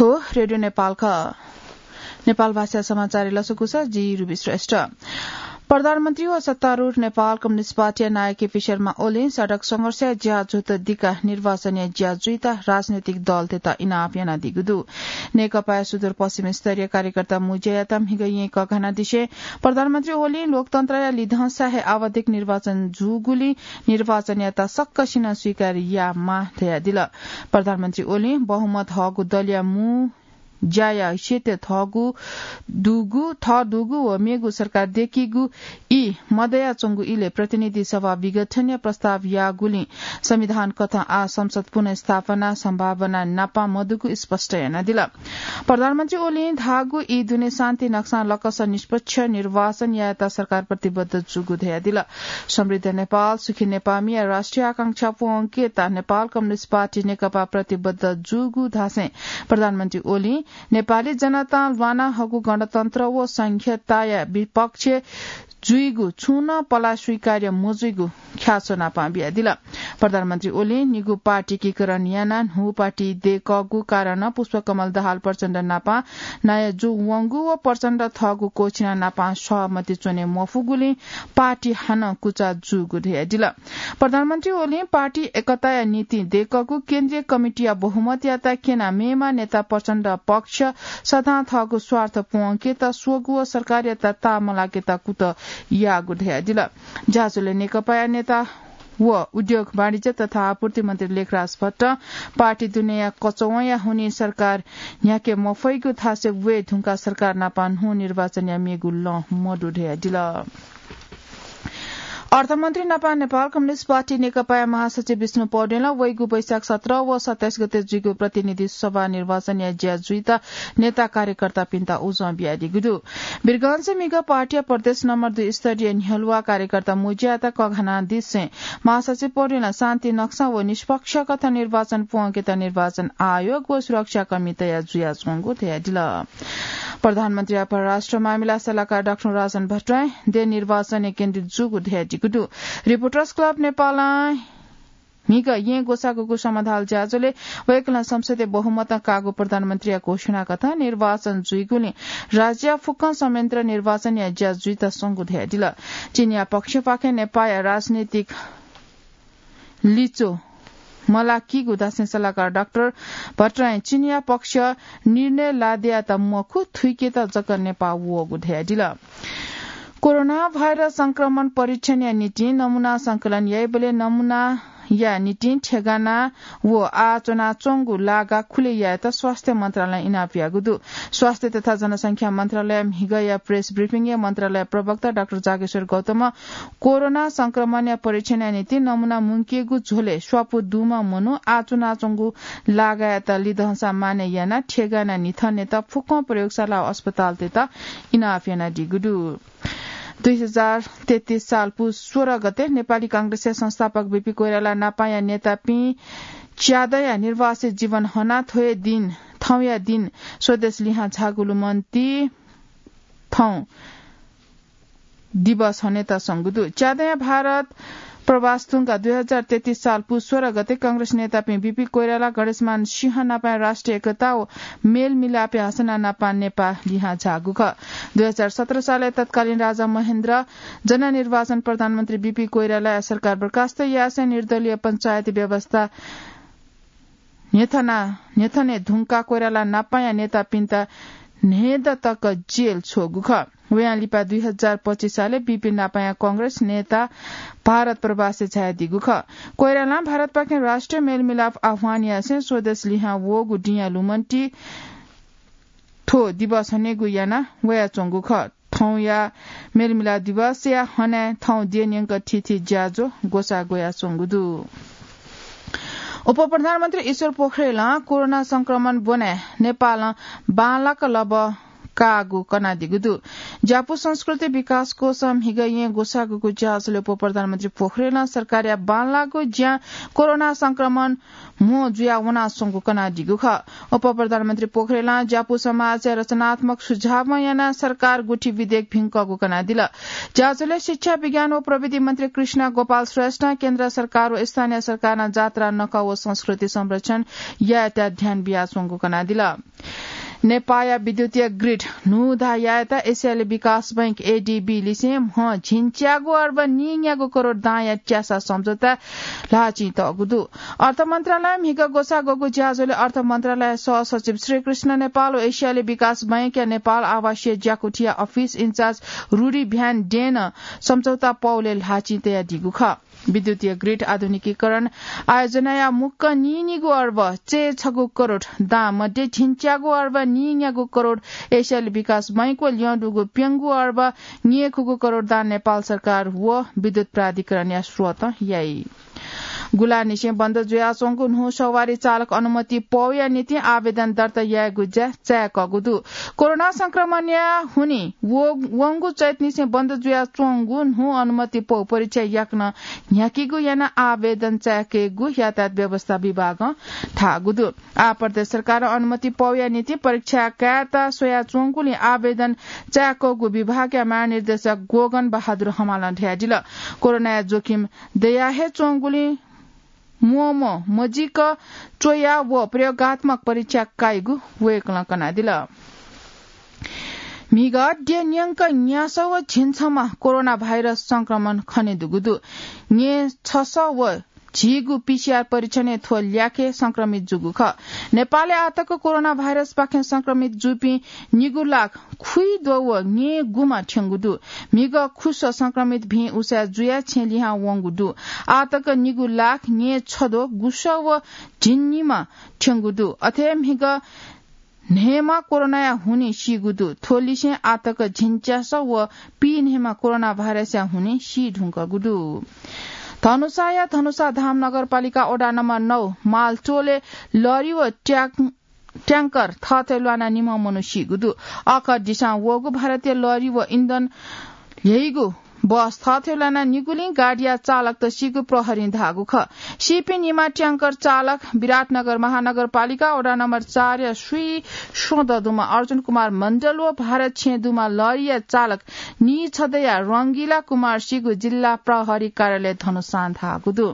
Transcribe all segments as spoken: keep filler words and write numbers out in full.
रेडियो नेपाल ख। नेपाल भाषा समाचार लसकुस जी रुबी श्रेष्ठ। प्रधानमन्त्री व सत्तारूढ नेपाल कम्युनिस्ट पार्टीया नायः केपी शर्मा ओलीं सडक संघर्षया ज्या जुइत दिका निर्वाचनया ज्या जुइत राजनैतिक दलतय्त इनाप यानादीगु दु। नेकपाया सुदूरपश्चिम स्तरीय कार्यकर्ता मुज्यायात म्हिगः येँ कघानादिसें प्रधानमन्त्री ओलीं लोकतन्त्रया लिधंसा हे आवधिक निर्वाचन जूगुलिं निर्वाचनयात सक्कसिनं स्वीकार यायेमाः धयादिल। प्रधानमन्त्री ओलीं बहुमत हःगु दलया मू ज्याया हैसियत थःगु दुगु, थः दुगु व मेगु सरकार दय्केगु ई मदयाच्वंगु इलय् प्रतिनिधि सभा विघटनया प्रस्ताव याःगुलिं संविधान कथं आः संसद पुनर्स्थापना सम्भावना नापं मदुगु स्पष्ट यानादिल। प्रधानमन्त्री ओलीं धाःगु ई दुने शान्ति नक्सां लकस निष्पक्ष निर्वाचन यायेत सरकार प्रतिबद्ध जूगु धयादिल। समृद्ध नेपाल, सुखी नेपालया राष्ट्रिय आकांक्षा पूवंकेत नेपाल कम्युनिस्ट पार्टी नेकपा प्रतिबद्ध जूगु धासें प्रधानमन्त्री ओलीं नेपाली जनतां ल्वाना हःगु गणतन्त्र व संघीयताया विपक्ष जुइगु छुं नं पला स्वीकार्य मजुइगु ख्याच्वनापां बियादिल। प्रधानमन्त्री ओलीं निगू पार्टी एकीकरण यानाः न्हू पार्टी दय्कःगु कारणं पुष्पकमल दाहाल प्रचण्ड नापं नायः जूवंगु व प्रचण्ड थःगु क्वःछिना नापं सहमति च्वने मफुगुलिं पार्टी हानं कुचा जूगु धयादिल। प्रधानमन्त्री ओलीं पार्टी एकताया निंतिं दय्कःगु केन्द्रीय कमिटीया बहुमतयात क्यना मेम्ह नेता प्रचण्ड पक्ष सदां थःगु स्वार्थ पूवंकेत स्वःगु व सरकारयात ताःमलाकेत कुतः याःगु धयादिल। ज्याझ्वलय् नेकपाया नेता व उद्योग, वाणिज्य तथा आपूर्ति मन्त्री लेखराज भट्टं पार्टी दुनेया कचवंया हुनिं सरकार न्ह्याके मफइगु धासें वये धुंकाः सरकार नापं न्हू निर्वाचनया मेगु लँ मदु धयादिल। अर्थमन्त्री नापं नेपाल कम्युनिस्ट पार्टी नेकपाया महासचिव विष्णु पौडेलं वइगु वैशाख सत्र व सत्ताइस गते जुइगु प्रतिनिधि सभा निर्वाचनया ज्या जुइत नेता कार्यकर्तापिन्त उजं बियादीगु दु। वीरगंजय् म्हिगः पार्टीया प्रदेश नम्बर दुई स्तरीय न्ह्यलुवा कार्यकर्ता मुज्यायात कघानादिसें महासचिव पौडेलं शान्ति नक्सा व निष्पक्ष कथं निर्वाचन पूवंकेत निर्वाचन आयोग व सुरक्षाकर्मी तयार जुयाच्वंगु धयादिल। प्रधानमन्त्रीया परराष्ट्र मामिला सल्लाहकार डाक्टर राजन भट्टराई देय् निर्वाचनय् केन्द्रित जूगु धयादीगु दु। रिपोर्टर्स क्लब नेपालं म्हिगः येँ ग्वसाःगुगु समधाल ज्याझ्वलय् वय्कलं संसदय् बहुमतं काःगु प्रधानमन्त्रीया घोषणा कथं निर्वाचन जुइगुलिं राज्यया फुक्कं संयन्त्र निर्वाचनया ज्या जुइत स्वंगु धयादिल। चीनया पक्षपाखें नेपाःया राजनीतिक लिच्वः मलाकीगु धासें सल्लाहकार डाक्टर भट्टराईं चीनया पक्ष निर्णय लादेयात मखु, थुइकेत जक नेपाः वःगु धयादिल। कोरोना भाइरस संक्रमण परीक्षणया निंतिं नमूना संकलन याइबलय् नमूनाया निंतिं ठेगाना व आः च्वनाच्वंगु लागा खुले यायेत स्वास्थ्य मन्त्रालयं इनाप याःगु दु। स्वास्थ्य तथा जनसंख्या मन्त्रालय म्हिगःया प्रेस ब्रिफिङय् मन्त्रालय प्रवक्ता डाक्टर जागेश्वर गौतमं कोरोना संक्रमणया परीक्षणया निंतिं नमूना मुंकेगु झ्वलय् स्वापू दुम्ह मनू आः च्वनाच्वंगु लागायात लिधंसा मानय् यानाः ठेगाना निथनेत फुक्कं प्रयोगशाला व अस्पतालतय्त इनाप यानादीगु दु। दुई हजार तेत्तिस साल पुस सोह्र गते नेपाली कांग्रेसया संस्थापक बीपी कोइराला नापाया नेतापिं च्यादँया निर्वासित जीवन हनाः थ्वया दिं, थौंया दिं स्वदेश लिहां झाःगु लुमन्ति थौं दिवस हनेत स्वंगु दु। च्यादँया भारत प्रवास धुंकाः दुई हजार तेत्तिस साल पुस सोह्र गते कांग्रेस नेतापिं बीपी कोइराला, गणेशमान सिंह नापाया राष्ट्रिय एकता व मेलमिलापया हसना नापां नेपाः लिहां झाःगु खः। दुई हजार सत्र सालय् तत्कालीन राजा महेन्द्र जननिर्वाचन प्रधानमन्त्री बीपी कोइरालाया सरकार बर्खास्त यासें निर्दलीय पञ्चायती व्यवस्था न्ह्यथना, न्ह्यथने धुंकाः कोइराला नापाया नेतापिन्त न्हय्दँ तक जेल छ्वःगु खः। वयां लिपा दुई हजार पच्चिस सालय् बीपी नापाया कांग्रेस नेता भारत प्रवासय् झायादीगु खः। कोइरालां भारतपाखें राष्ट्रिय मेलमिलाप आह्वान यासें स्वदेश लिहां वःगु दिंया लुमन्ति थ्व दिवस हनेगु याना वयाच्वंगु खः। थौंया मेलमिलाप दिवसया हनाय् थौं द्यः न्यंक थीथी ज्याझ्वः ग्वसाः ग्वयाच्वंगु दु। उपप्रधानमन्त्री ईश्वर पोखरेलं कोरोना संक्रमण ब्वनाय् नेपालं बांलाक लबः काःगु कनादीगु दु। ज्यापु संस्कृति विकास कोषं म्हिगः येँ ग्वसाःगुगु ज्याझ्वलय् उपप्रधानमन्त्री पोखरेलं सरकारया बांलाःगु ज्यां कोरोना संक्रमण म्हो जुयाः वनाच्वंगु कनादीगु खः। उपप्रधानमन्त्री पोखरेलं ज्यापु समाजया रचनात्मक सुझावं यानाः सरकार गुठी विधेयक भिंकःगु कनादिल। ज्याझ्वलय् शिक्षा, विज्ञान व प्रविधि मन्त्री कृष्ण गोपाल श्रेष्ठं केन्द्र सरकार व स्थानीय सरकारं जात्रा, नखः व संस्कृति संरक्षण यायेत ध्यान बियाच्वंगु कनादिल। नेपाःया विद्युतीय ग्रिड न्हूदँ यायेत एसियाली विकास बैंक, एडीबी, लिसें म्ह झिंच्यागू अर्ब नीन्यागू करोड दांया च्यासा सम्झौता ल्हाःचिं तःगु दु। अर्थ मन्त्रालय म्हिगः ग्वसाः ग्वःगु ज्याझ्वलय् अर्थ मन्त्रालय सहसचिव श्रीकृष्ण नेपाल व एसियाली विकास बैंकया नेपाल आवासीय ज्याकुथिया अफिस इन्चार्ज रुडी भ्यान डेनं सम्झौता पौलय् ल्हाःचिं तयादीगु खः। विद्युतीय ग्रिड आधुनिकीकरण आयोजनाया मुक्कं नीनिगू अर्ब चय्छगू करोड दां मध्ये झिंच्यागू अर्ब नीन्यागू करोड एसियाली विकास बैंक व ल्यं दुगु प्यंगू अर्ब न्येखुगू करोड दां नेपाल सरकार व विद्युत प्राधिकरणया स्रोतं याइ। गुलांनिसें बन्द जुयाच्वंगु न्हू सवारी चालक अनुमति पौया निंतिं आवेदन दर्ता यायेगु ज्या चाय्कःगु दु। कोरोना संक्रमणया हुनिं व-, वंगु चैतनिसें बन्द जुयाच्वंगु न्हू अनुमति पौ परीक्षा याकनं न्ह्याकीगु यानाः आवेदन चाय्केगु यातायात व्यवस्था विभागं धाःगु दु। आः प्रदेश सरकारं अनुमति पौया निंतिं परीक्षा कायेत स्वयाच्वंगुलिं आवेदन चाय्कःगु विभागया महानिर्देशक गोगन बहादुर हमालं धयादिल। कोरोनाया जोखिम दया हे च्वंगुलिं म्वःम्वः मजिक च्वया व प्रयोगात्मक परीक्षा काइगु वय्कलं कनादिल। म्हिगः द्यः न्यंक न्यासः व झिंछम्ह कोरोना भाइरस संक्रमण खनेदुगु दु। न्येछसः व झीगु पीसीआर परीक्षणय् थ्व ल्याखय् संक्रमित जूगु खः। नेपालय् आःतक कोरोना भाइरसपाखें संक्रमित जूपिं निगू लाख खुइद्वः व न्येगुम्ह थ्यंगु दु। म्हिगः खुसः संक्रमित भिं उसाँय् जुयाः छेँ लिहां वंगु दु। आःतक निगू लाख न्येछद्वः गुसः व झिंनिम्ह थ्यंगु दु। अथे म्हिगः न्हय्म्ह कोरोनाया हुनिं सीगु दु। थ्व लिसें आःतक झिंच्यासः व पीन्हय्म्ह कोरोना भाइरसया हुनिं सी धुंकूगु दु। धनुषाया धनुषा धाम नगरपालिका वडा नम्बर नौ मालटोलय् लरी व ट्याक-, ट्याङ्कर थःथें ल्वानाः निम्ह मनू सीगु दु। अःखः दिसां वःगु भारतीय लरी व इन्धन ल्ह्यइगु बस थःथें ल्वानाः निगुलिं गाडीया चालकत सीगु प्रहरीं धाःगु खः। सीपिं निम्ह ट्याङ्कर चालक विराटनगर महानगरपालिका वडा नम्बर चारया स्वीस्वदँ दुम्ह अर्जुन कुमार मण्डल व भारत छेँ दुम्ह लरीया चालक नीछदँया रंगिला कुमार सीगु जिल्ला प्रहरी कार्यालय धनुषां धाःगु दु।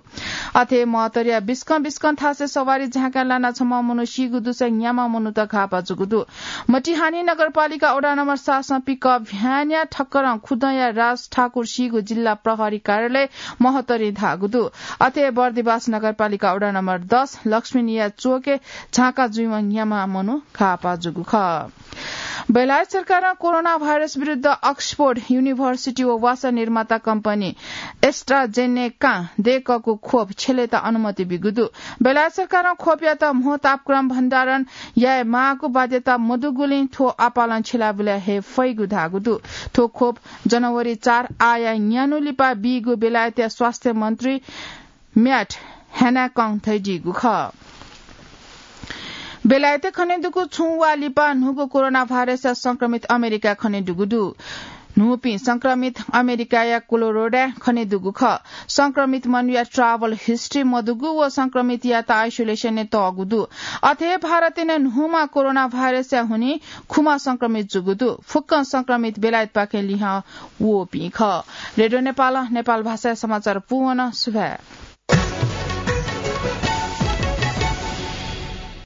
अथे महतरीया बिस्कं बिस्कं थासय् सवारी झाँकाय् लानाः छम्ह मनू सीगु दुसा न्याम्ह मनूत घाःपा जूगु दु। मटिहानी नगरपालिका वडा नम्बर सातसं पिकअप भ्यानया ठक्करं खुदँया राज ठाकुर सीगु जिल्ला प्रहरी कार्यालय महतरीं धाःगु दु। अथे बर्दिबास नगरपालिका वडा नम्बर दस लक्ष्मीनिया चोकय् झाँका जुइवं न्याम्ह मनू घाःपा जूगु खः। बेलायत सरकारं कोरोना भाइरस विरुद्ध अक्सफोर्ड युनिभर्सिटी व वासः निर्माता कम्पनी एस्ट्राजेनेकां दय्कःगु खोप छ्यलेत अनुमति बीगु दु। बेलायत सरकारं खोपयात म्हो तापक्रम भण्डारण याये माःगु बाध्यता मदुगुलिं थ्व आपालं छ्यलाबुलाय् हये फइगु धाःगु दु। थ्व खोप जनवरी चार आःया न्यान्हु लिपा बीगु बेलायतया स्वास्थ्य मन्त्री म्याट ह्यानाकं धयादीगु खः। बेलायतय् खनेदुगु छुं वा लिपा न्हूगु कोरोना भाइरसया संक्रमित अमेरिकाय् खनेदुगु दु। न्हूपिं संक्रमित अमेरिकाया कोलोराडोय् खनेदुगु खः। संक्रमित मनूया travel history मदुगु व संक्रमितयात आइसोलेसनय् तःगु दु। अथे भारतय् नं न्हूम्ह कोरोना भाइरसया हुनिं खुम्ह संक्रमित जूगु दु। फुक्कं संक्रमित बेलायतपाखें लिहां वःपिं खः। रेडियो नेपालं नेपाल भाषाया समाचार पूवन। सुभाय्।